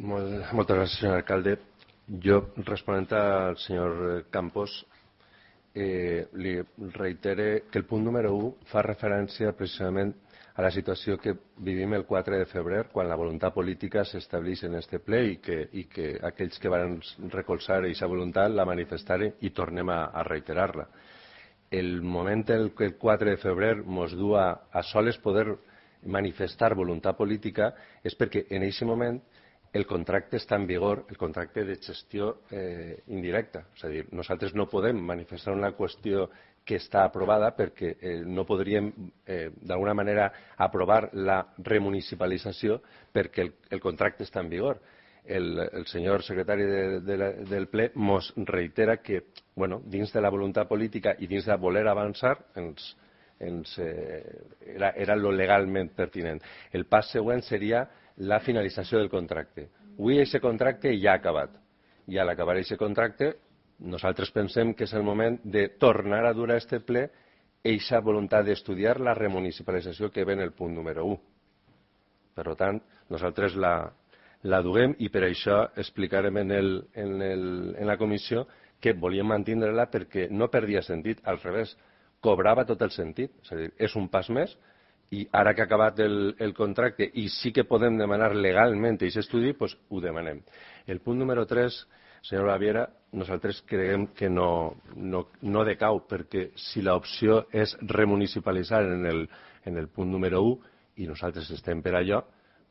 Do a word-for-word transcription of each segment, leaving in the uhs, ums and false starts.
Molt, moltes gràcies, senyor alcalde. Jo, responent al senyor Campos, eh, li reitere que el punt número u fa referència precisament a la situació que vivim el quatre de febrer, quan la voluntat política s'estableix en este ple i que, i que aquells que van recolzar aquesta voluntat la manifestaren i tornem a, a reiterar-la. El moment en què el quatre de febrer ens du a, a soles poder manifestar voluntat política és perquè en aquest moment el contracte està en vigor, el contracte de gestió eh, indirecta. És a dir, nosaltres no podem manifestar una qüestió que està aprovada perquè eh, no podríem eh, d'alguna manera aprovar la remunicipalització perquè el, el contracte està en vigor. El, el senyor secretari de, de la, del ple ens reitera que bueno, dins de la voluntat política i dins de voler avançar ens, ens, eh, era, era lo legalment pertinent. El pas següent seria la finalització del contracte. Avui aquest contracte ja ha acabat. I a l'acabar aquest contracte nosaltres pensem que és el moment de tornar a dur a este ple aquesta voluntat d'estudiar la remunicipalització que ve en el punt número u. Per tant, nosaltres la, la duguem i per això explicarem en, el, en, el, en la comissió que volíem mantindre-la perquè no perdia sentit, al revés, cobrava tot el sentit. És a dir, és un pas més i ara que ha acabat el, el contracte i sí que podem demanar legalment aquest estudi, doncs ho demanem. El punt número tres, senyor Baviera, nosaltres creiem que no, no, no decau, perquè si l'opció és remunicipalitzar en el, en el punt número u i nosaltres estem per allò,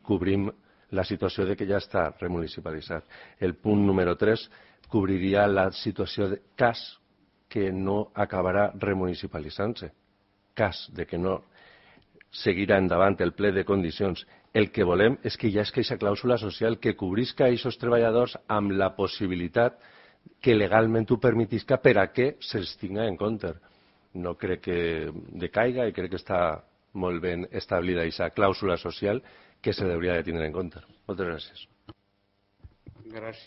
cobrim la situació de que ja està remunicipalitzat. El punt número tres cobriria la situació de cas que no acabarà remunicipalitzant-se. Cas de que no seguirà endavant el ple de condicions. El que volem és que hi hagi aquesta clàusula social que cobrisca a aquests treballadors amb la possibilitat que legalment ho permetisca per a què se'ls tinga en compte. No crec que decaiga i crec que està molt ben establida aquesta clàusula social que se hauria de tindre en compte. Moltes gràcies. Gràcies.